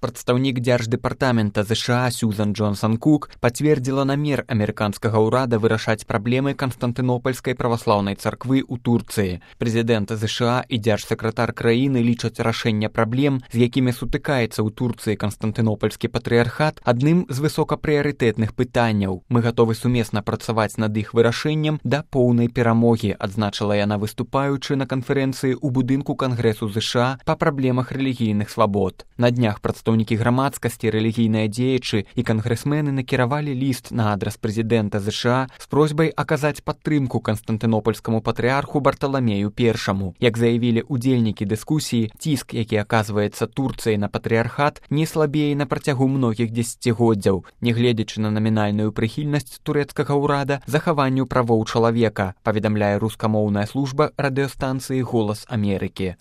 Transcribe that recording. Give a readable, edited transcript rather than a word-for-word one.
Прадстаўнік Дзярждэпартамента ЗША Сьюзан Джонсон-Кук пацвердзіла намер амерыканскага ўрада вырашаць праблемы Канстантынопольскай праваслаўнай царквы ў Турцыі. Прэзідэнт ЗША і дзяржсакратар краіны лічаць рашэнне праблем, з якімі сутыкаецца ў Турцыі Канстантынопольскі патрыархат, адным з высокапрыярытэтных пытанняў. Мы гатовы сумесна працаваць над іх вырашэннем да поўнай перамогі, адзначыла яна, выступаючы на канферэнцыі ў будынку Кангрэсу ЗША па праблемах рэлігійных свабод. На днях прадстаўнікі грамадскасці, рэлігійныя дзеячы і кангрэсмены накіравалі ліст на адрас прэзідэнта ЗША з просьбай аказаць падтрымку канстантынопольскаму патрыарху Барталамею I. Як заявілі удзельнікі дыскусіі, ціск, які аказваецца Турцыяй на патрыархат, не слабее на працягу многіх дзесяцігоддзяў, нягледзячы на намінальную прыхільнасць турэцкага ўрада захаванню правоў чалавека, паведамляе рускамоўная служба радыёстанцыі «Голас Амерыкі».